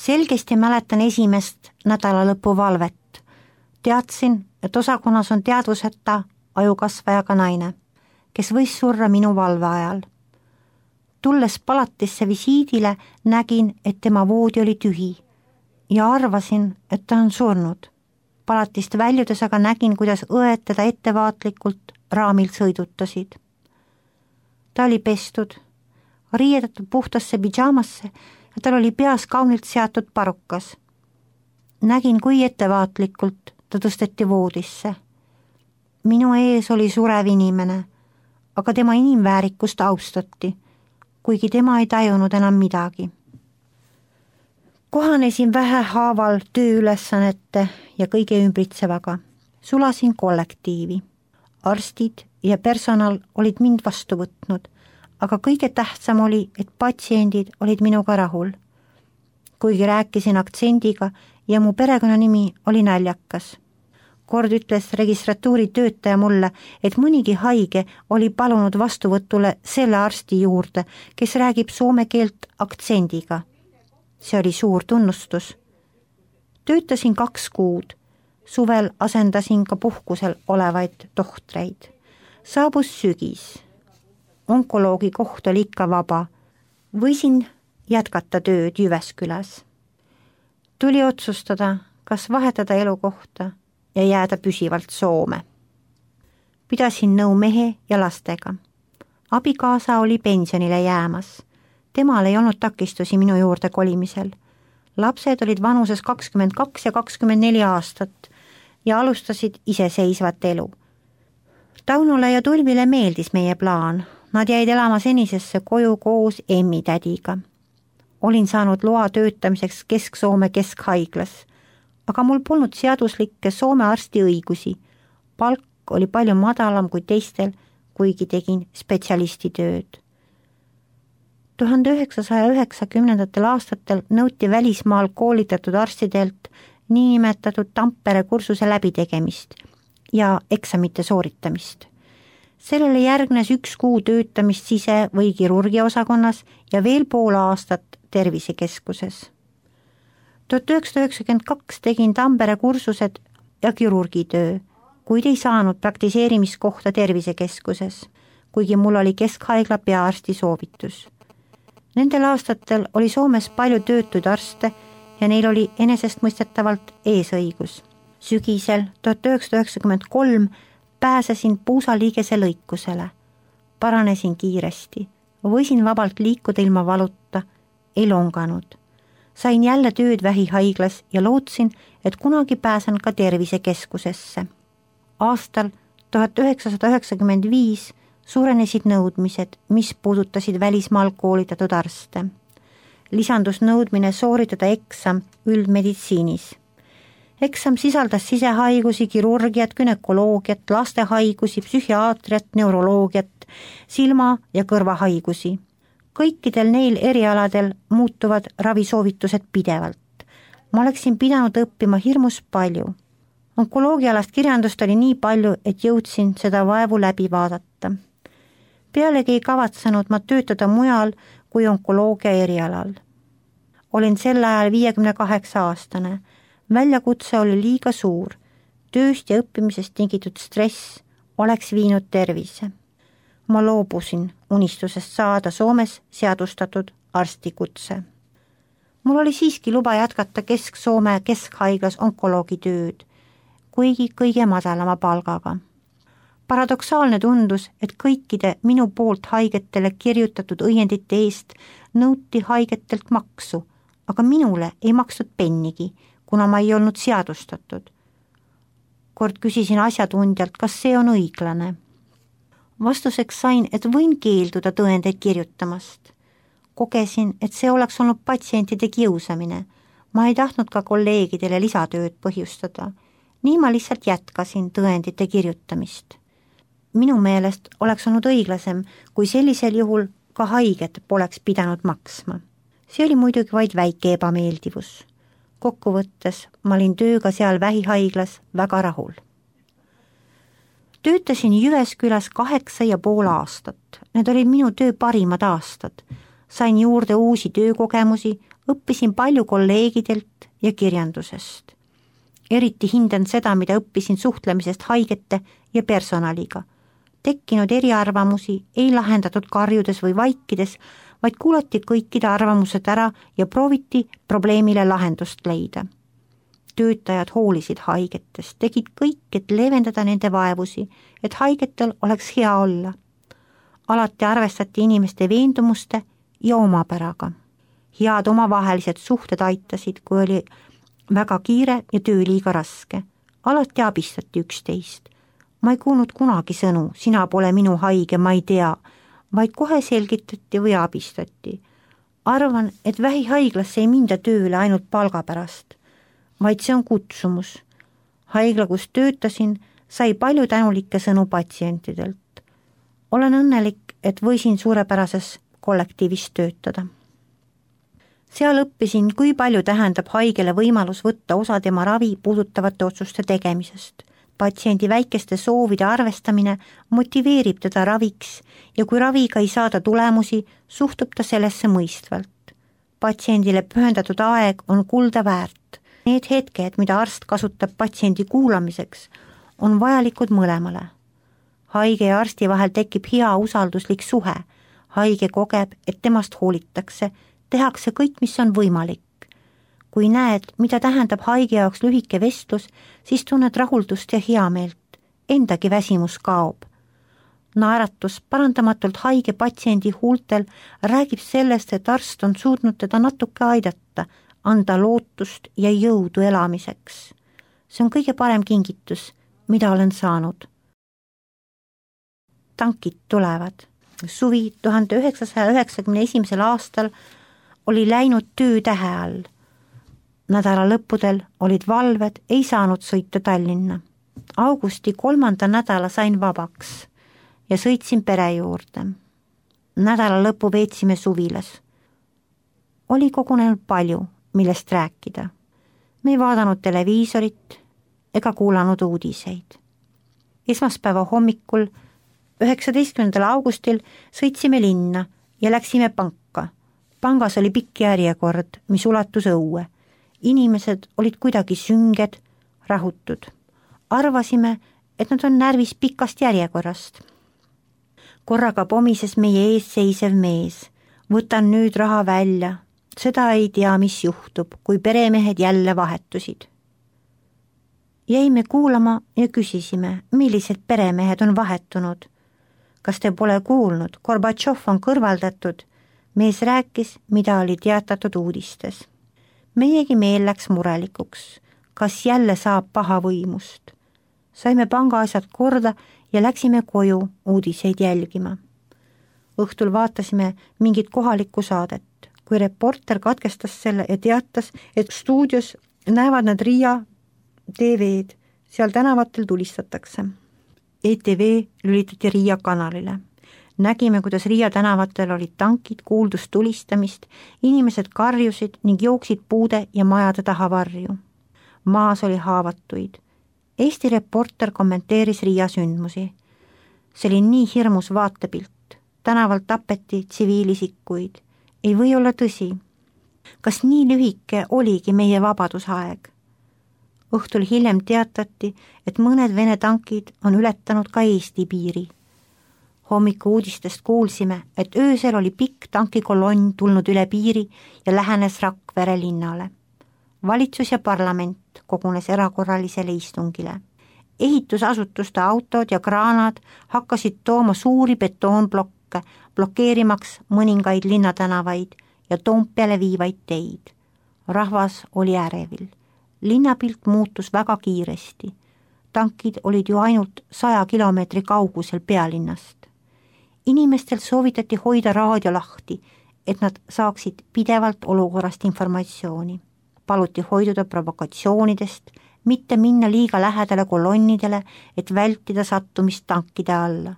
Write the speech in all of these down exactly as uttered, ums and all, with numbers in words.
Selgesti mäletan esimest nädalalõpu valvet. Teadsin, et osakonnas on teadvuseta ajukasvajaga naine, kes võis surra minu valve ajal. Tulles palatisse visiidile, nägin, et tema voodi oli tühi ja arvasin, et ta on surnud. Palatist väljudes aga nägin, kuidas õed teda ettevaatlikult raamilt sõidutasid. Ta oli pestud, riiedatud puhtasse pidžaamasse ja tal oli peas kaunilt seatud parukas. Nägin, kui ettevaatlikult ta tõsteti voodisse. Minu ees oli surev inimene, aga tema inimväärikust austati, kuigi tema ei tajunud enam midagi. Kohanesin vähehaaval tööülesannete ja kõige ümbritsevaga. Sulasin kollektiivi. Arstid ja personal olid mind vastu võtnud, aga kõige tähtsam oli, et patsiendid olid minuga rahul. Kuigi rääkisin aktsendiga ja mu perekonnanimi oli naljakas. Kord ütles registratuuri töötaja mulle, et mõnigi haige oli palunud vastuvõtule selle arsti juurde, kes räägib soome keelt aktsendiga. See oli suur tunnustus. Töötasin kaks kuud. Suvel asendasin ka puhkusel olevaid tohtreid. Saabus sügis. Onkoloogi koht oli ikka vaba. Võisin jätkata tööd Jyväskyläs. Tuli otsustada, kas vahetada elukohta ja jääda püsivalt Soome. Pidasin nõu mehe ja lastega. Abikaasa oli pensionile jäämas. Temal ei olnud takistusi minu juurde kolimisel. Lapsed olid vanuses kakskümmend kaks ja kakskümmend neli aastat ja alustasid iseseisvat elu. Taunule ja Tulvile meeldis meie plaan. Nad jäid elama senisesse koju koos emmitädiga. Olin saanud loa töötamiseks Kesk-Soome keskhaiglas, aga mul polnud seaduslikke Soome arsti õigusi. Palk oli palju madalam kui teistel, kuigi tegin spetsialistitööd. tuhande üheksasaja üheksakümnendatel aastatel nõuti välismaal koolitatud arstidelt niinimetatud Tampere kursuse läbitegemist ja eksamite sooritamist. Sellele järgnes üks kuu töötamist sise- või kirurgiaosakonnas ja veel pool aastat tervisekeskuses. tuhat üheksasada üheksakümmend kaks tegin Tampere kursused ja kirurgitöö, kuid ei saanud praktiseerimiskohta tervisekeskuses, kuigi mul oli keskhaigla peaarsti soovitus. Nendel aastatel oli Soomes palju töötuid arste ja neil oli enesestmõistetavalt eesõigus. Sügisel tuhat üheksasada üheksakümmend kolm pääsesin puusaliigese lõikusele. Paranesin kiiresti, võisin vabalt liikuda ilma valuta, ei longanud. Sain jälle tööd vähihaiglas ja lootsin, et kunagi pääsen ka tervisekeskusesse. Aastal tuhat üheksasada üheksakümmend viis suurenesid nõudmised, mis puudutasid välismaal koolitatud arste. Lisandus nõudmine sooritada eksam üldmeditsiinis. Eksam sisaldas sisehaigusi, kirurgiat, günekoloogiat, lastehaigusi, psühhiaatriat, neuroloogiat, silma- ja kõrvahaigusi. Kõikidel neil erialadel muutuvad ravisoovitused pidevalt. Ma oleksin pidanud õppima hirmus palju. Onkoloogialast kirjandust oli nii palju, et jõudsin seda vaevu läbi vaadata. Pealegi ei kavatsenud ma töötada mujal kui onkoloogia erialal. Olin sel ajal viiekümne kaheksa aastane. Väljakutse oli liiga suur. Tööst ja õppimisest tingitud stress oleks viinud tervise. Ma loobusin unistusest saada Soomes seadustatud arstikutse. Mul oli siiski luba jätkata Kesk-Soome keskhaiglas onkoloogi tööd, kuigi kõige madalama palgaga. Paradoksaalne tundus, et kõikide minu poolt haigetele kirjutatud õiendite eest nõuti haigetelt maksu, aga minule ei makstud pennigi, kuna ma ei olnud seadustatud. Kord küsisin asjatundjalt, kas see on õiglane. Vastuseks sain, et võin keelduda tõendeid kirjutamast. Kogesin, et see oleks olnud patsientide kiusamine. Ma ei tahtnud ka kolleegidele lisatööd põhjustada. Nii ma lihtsalt jätkasin tõendite kirjutamist. Minu meelest oleks olnud õiglasem, kui sellisel juhul ka haiget poleks pidanud maksma. See oli muidugi vaid väike ebameeldivus. Kokkuvõttes ma olin tööga seal vähihaiglas väga rahul. Töötasin Jyväskyläs kaheksa ja pool aastat. Need olid minu töö parimad aastad. sain juurde uusi töökogemusi, õppisin palju kolleegidelt ja kirjandusest. Eriti hindan seda, mida õppisin suhtlemisest haigete ja personaliga. Tekkinud eriarvamusi ei lahendatud karjudes või vaikides, vaid kuulati kõikide arvamused ära ja prooviti probleemile lahendust leida. Töötajad hoolisid haigetest, tegid kõik, et leevendada nende vaevusi, et haigetel oleks hea olla. Alati arvestati inimeste veendumuste ja omapäraga. Head omavahelised suhted aitasid, kui oli väga kiire ja töö liiga raske. Alati abistati üksteist. Ma ei kuulnud kunagi sõnu, sina pole minu haige, ma ei tea, vaid kohe selgitati või abistati. Arvan, et vähihaiglasse ei minda tööle ainult palga pärast, vaid see on kutsumus. Haigla, kus töötasin, sai palju tänulikke sõnu patsientidelt. Olen õnnelik, et võisin suurepärases kollektiivis töötada. Seal õppisin, kui palju tähendab haigele võimalus võtta osa tema ravi puudutavate otsuste tegemisest. Patsiendi väikeste soovide arvestamine motiveerib teda raviks ja kui raviga ei saada tulemusi, suhtub ta sellesse mõistvalt. Patsiendile pühendatud aeg on kulda väärt. Need hetked, mida arst kasutab patsiendi kuulamiseks, on vajalikud mõlemale. Haige ja arsti vahel tekib hea usalduslik suhe. Haige kogeb, et temast hoolitakse, tehakse kõik, mis on võimalik. Kui näed, mida tähendab haige jaoks lühike vestlus, siis tunned rahuldust ja heameelt. Endagi väsimus kaob. Naeratus parandamatult haige patsiendi huultel räägib sellest, et arst on suutnud teda natuke aidata, anda lootust ja jõudu elamiseks. See on kõige parem kingitus, mida olen saanud. Tankid tulevad. Suvi tuhande üheksasaja üheksakümne esimesel aastal oli läinud töötähe all. Nädala lõppudel olid valved, ei saanud sõita Tallinna. Augusti kolmanda nädala sain vabaks ja sõitsin pere juurde. Nädala lõppu veetsime suvilas. Oli kogunenud palju, millest rääkida. Me ei vaadanud televiisorit ega kuulanud uudiseid. Esmaspäeva hommikul üheksateistkümnendal augustil sõitsime linna ja läksime panka. Pangas oli pikk järjekord, mis ulatus õue. Inimesed olid kuidagi sünged, rahutud. Arvasime, et nad on närvis pikast järjekorrast. Korraga pomises meie ees seisev mees. Võtan nüüd raha välja. Seda ei tea, mis juhtub, kui peremehed jälle vahetusid. Jäime kuulama ja küsisime, millised peremehed on vahetunud. Kas te pole kuulnud, Gorbatšov on kõrvaldatud? Mees rääkis, mida oli teatatud uudistes. Meiegi meel läks murelikuks. Kas jälle saab paha võimust? Saime pangaasjad korda ja läksime koju uudiseid jälgima. Õhtul vaatasime mingit kohalikku saadet, kui reporter katkestas selle ja teatas, et stuudios näevad nad Riia T V-d, seal tänavatel tulistatakse. E T V lülitati Riia kanalile. Nägime, kuidas Riia tänavatel olid tankid, kuuldus tulistamist, inimesed karjusid ning jooksid puude ja majade taha varju. Maas oli haavatuid. Eesti reporter kommenteeris Riia sündmusi. See oli nii hirmus vaatepilt. Tänaval tapeti tsiviilisikuid. Ei või olla tõsi. Kas nii lühike oligi meie vabadusaeg? Õhtul hiljem teatati, et mõned Vene tankid on ületanud ka Eesti piiri. Hommiku uudistest kuulsime, et öösel oli pikk tankikolonn tulnud üle piiri ja lähenes Rakvere linnale. Valitsus ja parlament kogunes erakorralisele istungile. Ehitusasutuste autod ja kraanad hakkasid tooma suuri betoonblokke, blokeerimaks mõningaid linnatänavaid ja Toompeale viivaid teid. Rahvas oli ärevil. Linnapilt muutus väga kiiresti. Tankid olid ju ainult saja kilomeetri kaugusel pealinnast. Inimestel soovitati hoida raadio lahti, et nad saaksid pidevalt olukorrast informatsiooni. Paluti hoiduda provokatsioonidest, mitte minna liiga lähedale kolonnidele, et vältida sattumist tankide alla.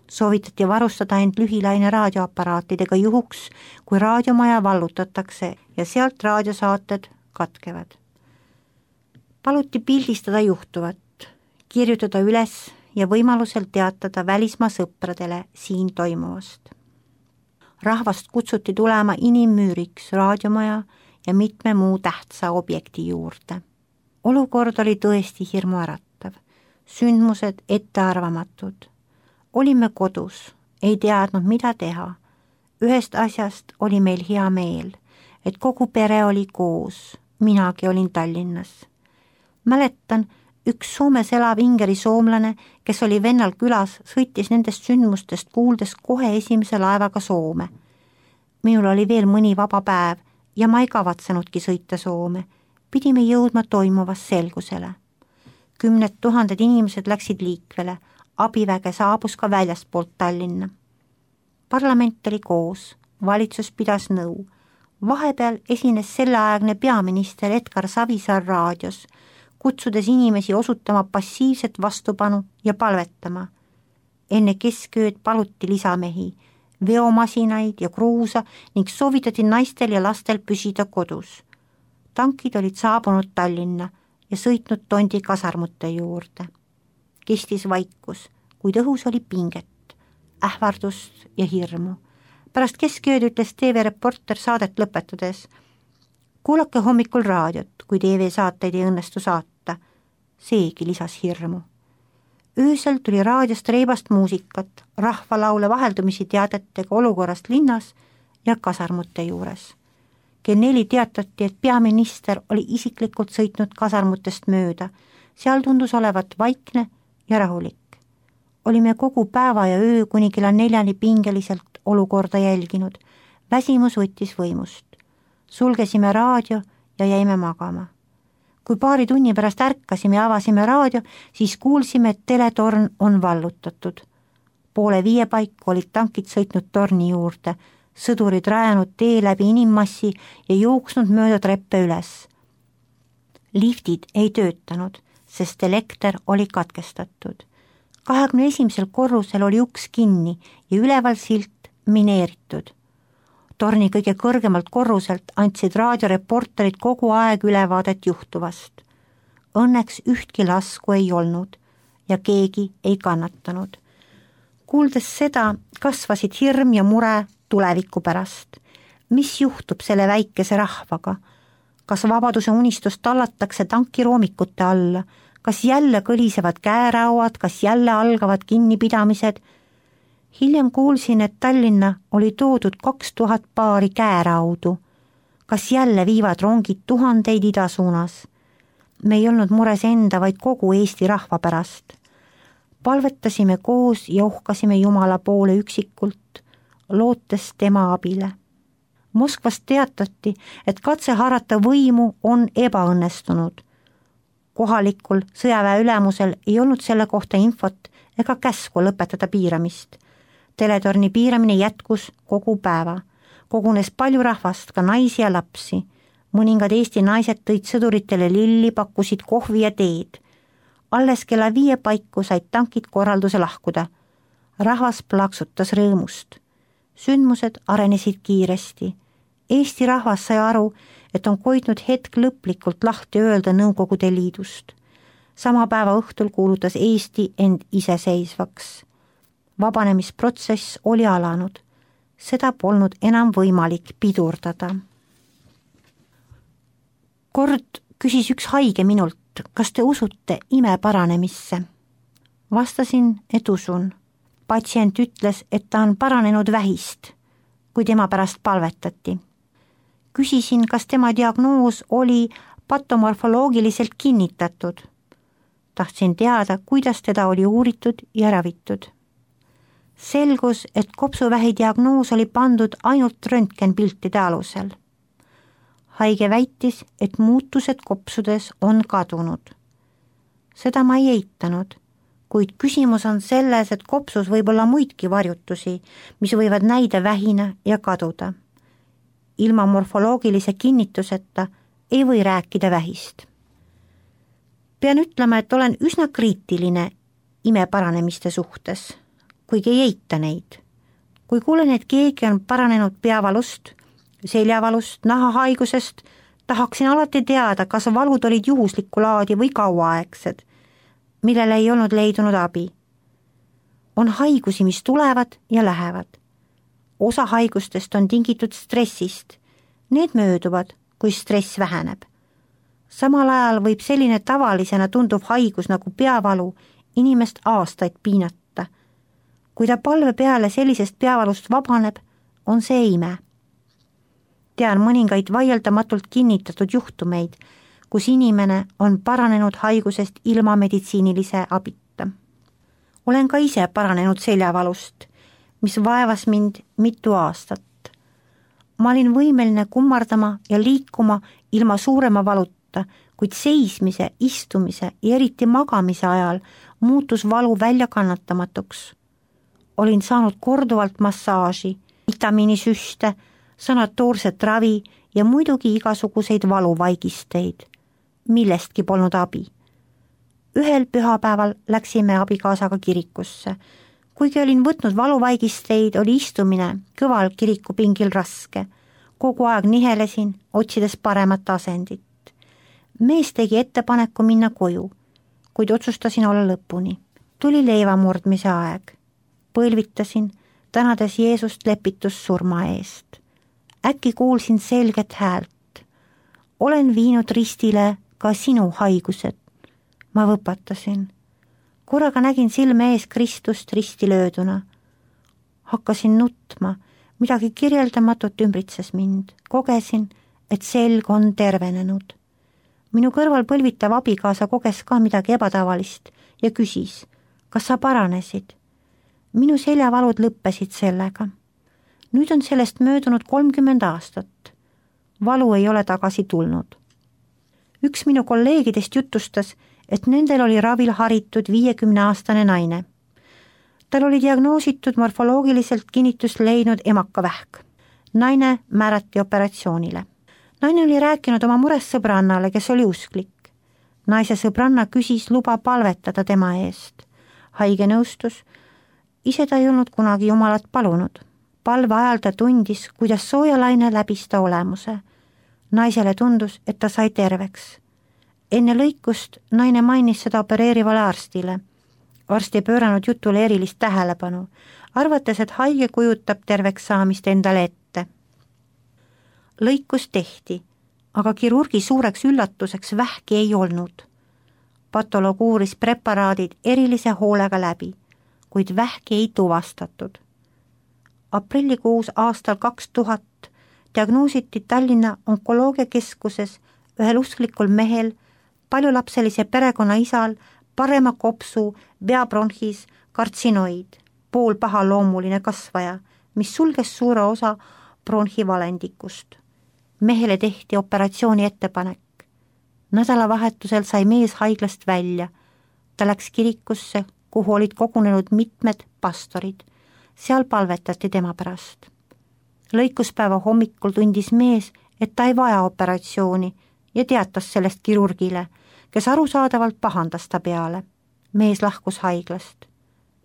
Soovitati varustada end lühilaine raadioaparaatidega juhuks, kui raadiomaja vallutatakse ja sealt raadiosaated katkevad. Paluti pildistada juhtuvat, kirjutada üles ja võimalusel teatada välismaa sõpradele siin toimuvast. rahvast kutsuti tulema inimmüüriks raadiomaja ja mitme muu tähtsa objekti juurde. Olukord oli tõesti hirmuäratav, sündmused ettearvamatud. Olime kodus, ei teadnud, mida teha. Ühest asjast oli meil hea meel, et kogu pere oli koos, minagi olin Tallinnas. Mäletan, üks Soomes elav ingeri soomlane, kes oli vennal külas, sõitis nendest sündmustest kuuldes kohe esimese laevaga Soome. Minul oli veel mõni vaba päev ja ma ei kavatsenudki sõita Soome. Pidime jõudma toimuvas selgusele. Kümned tuhanded inimesed läksid liikvele, abiväge saabus ka väljaspoolt Tallinna. Parlament oli koos, valitsus pidas nõu. Vahepeal esines selleaegne peaminister Edgar Savisaar raadios, kutsudes inimesi osutama passiivset vastupanu ja palvetama. Enne keskööd paluti lisamehi, veomasinaid ja kruusa ning soovitati naistel ja lastel püsida kodus. Tankid olid saabunud Tallinna ja sõitnud Tondi kasarmute juurde. Kestis vaikus, kuid õhus oli pinget, ähvardust ja hirmu. Pärast keskööd ütles T V reporter saadet lõpetades: kuulake hommikul raadiot, kui T V saateid ei õnnestu saata. Seegi lisas hirmu. Öösel tuli raadiost reibast muusikat, rahvalaule vaheldumisi teadetega olukorrast linnas ja kasarmute juures. Kell neli teatati, et peaminister oli isiklikult sõitnud kasarmutest mööda. Seal tundus olevat vaikne ja rahulik. Olime kogu päeva ja öö kuni kella neljani pingeliselt olukorda jälginud. Väsimus võttis võimust. Sulgesime raadio ja jäime magama. Kui paari tunni pärast ärkasime ja avasime raadio, siis kuulsime, et teletorn on vallutatud. Poole viie paiku olid tankid sõitnud torni juurde, sõdurid rajanud tee läbi inimmassi ja jooksnud mööda treppe üles. Liftid ei töötanud, sest elekter oli katkestatud. kahekümne esimesel korrusel oli uks kinni ja üleval silt mineeritud. Torni kõige kõrgemalt korruselt andsid raadioreporterid kogu aeg ülevaadet juhtuvast. Õnneks ühtki lasku ei olnud ja keegi ei kannatanud. Kuuldes seda, kasvasid hirm ja mure tuleviku pärast. Mis juhtub selle väikese rahvaga? Kas vabaduse unistust tallatakse tankiroomikute alla? Kas jälle kõlisevad käerauad, kas jälle algavad kinnipidamised? Hiljem kuulsin, et Tallinna oli toodud kaks tuhat paari käeraudu. Kas jälle viivad rongid tuhandeid ida suunas? Me ei olnud mures enda, vaid kogu Eesti rahva pärast. Palvetasime koos ja uhkasime Jumala poole üksikult, lootes tema abile. Moskvast teatati, et katse haarata võimu on ebaõnnestunud. Kohalikul sõjaväe ülemusel ei olnud selle kohta infot ega käsku lõpetada piiramist. Teletorni piiramine jätkus kogu päeva. Kogunes palju rahvast, ka naisi ja lapsi. Mõningad Eesti naised tõid sõduritele lilli, pakkusid kohvi ja teed. Alles kella viie paiku said tankid korralduse lahkuda. Rahvas plaksutas rõõmust. Sündmused arenesid kiiresti. Eesti rahvas sai aru, et on koidnud hetk lõplikult lahti öelda Nõukogude Liidust. Sama päeva õhtul kuulutas Eesti end iseseisvaks. Vabanemisprotsess oli alanud. Seda polnud enam võimalik pidurdada. Kord küsis üks haige minult, kas te usute ime paranemisse? Vastasin, et usun. Patsient ütles, et ta on paranenud vähist, kui tema pärast palvetati. Küsisin, kas tema diagnoos oli patomorfoloogiliselt kinnitatud. Tahtsin teada, kuidas teda oli uuritud ja ravitud. Selgus, et kopsuvähi diagnoos oli pandud ainult röntgenpiltide alusel. Haige väitis, et muutused kopsudes on kadunud. Seda ma ei eitanud, kuid küsimus on selles, et kopsus võib olla muidki varjutusi, mis võivad näida vähina ja kaduda. Ilma morfoloogilise kinnituseta ei või rääkida vähist. Pean ütlema, et olen üsna kriitiline ime paranemiste suhtes, kuigi ei eita neid. Kui kuulen, et keegi on paranenud peavalust, seljavalust, nahahaigusest, tahaksin alati teada, kas valud olid juhuslikku laadi või kauaaegsed, millele ei olnud leidunud abi. On haigusi, mis tulevad ja lähevad. osa haigustest on tingitud stressist. Need mööduvad, kui stress väheneb. Samal ajal võib selline tavalisena tunduv haigus nagu peavalu inimest aastaid piinata. Kui ta palve peale sellisest peavalust vabaneb, on see ime. Tean mõningaid vaieldamatult kinnitatud juhtumeid, kus inimene on paranenud haigusest ilma meditsiinilise abita. Olen ka ise paranenud seljavalust, mis vaevas mind mitu aastat. Ma olin võimeline kummardama ja liikuma ilma suurema valuta, kuid seismise, istumise ja eriti magamise ajal muutus valu väljakannatamatuks. Olin saanud korduvalt massaaži, vitamiinisüste, sanatoorset ravi ja muidugi igasuguseid valuvaigisteid. Millestki polnud abi. Ühel pühapäeval läksime abikaasaga kirikusse. Kuigi olin võtnud valuvaigisteid, oli istumine kõval kirikupingil raske. Kogu aeg nihelesin, otsides paremat asendit. Mees tegi ettepaneku minna koju, kuid otsustasin olla lõpuni. Tuli leivamurdmise aeg. Põlvitasin, tänades Jeesust lepitussurma eest. Äkki kuulsin selget häält. Olen viinud ristile ka sinu haigused. Ma võpatasin. Korraga nägin silme ees Kristust risti lööduna. Hakkasin nutma, midagi kirjeldamatut ümbritses mind. Kogesin, et selg on tervenenud. Minu kõrval põlvitav abikaasa koges ka midagi ebatavalist ja küsis, kas sa paranesid. Minu seljavalud lõppesid sellega. Nüüd on sellest möödunud kolmkümmend aastat. Valu ei ole tagasi tulnud. Üks minu kolleegidest jutustas, et nendel oli ravil haritud viiekümne aastane naine. Tal oli diagnoositud morfoloogiliselt kinnitust leidnud emakavähk. Naine määrati operatsioonile. Naine oli rääkinud oma murest sõbrannale, kes oli usklik. Naise sõbranna küsis luba palvetada tema eest. Haige nõustus, ise ta ei olnud kunagi Jumalat palunud. Palve ajal ta tundis, kuidas soojalaine läbis ta olemuse. Naisele tundus, et ta sai terveks. Enne lõikust naine mainis seda opereerivale arstile. Arst ei pööranud jutule erilist tähelepanu, arvates, et haige kujutab terveks saamist endale ette. Lõikus tehti, aga kirurgi suureks üllatuseks vähki ei olnud. Patoloog uuris preparaadid erilise hoolega läbi, kuid vähki ei tuvastatud. Aprillikuus aastal kaks tuhat diagnoositi Tallinna onkoloogiakeskuses ühel usklikul mehel, paljulapselise perekonna isal, parema kopsu, veabronhis, kartsinoid, poolpahaloomuline kasvaja, mis sulges suure osa bronhivalendikust. Mehele tehti operatsiooni ettepanek. Nädalavahetusel sai mees haiglast välja. Ta läks kirikusse, kuhu olid kogunenud mitmed pastorid. Seal palvetati tema pärast. Lõikuspäeva hommikul tundis mees, et ta ei vaja operatsiooni ja teatas sellest kirurgile, kes arusaadavalt pahandas ta peale. Mees lahkus haiglast.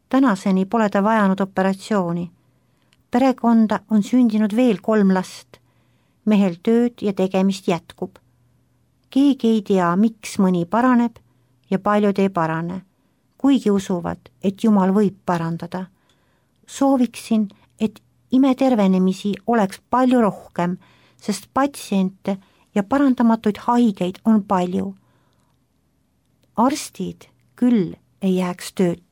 Tänaseni pole ta vajanud operatsiooni. Perekonda on sündinud veel kolm last. Mehel tööd ja tegemist jätkub. Keegi ei tea, miks mõni paraneb ja paljud ei parane, kuigi usuvad, et Jumal võib parandada. Sooviksin, et imetervenemisi oleks palju rohkem, sest patsiente ja parandamatuid haigeid on palju. Arstid küll ei jääks tööta.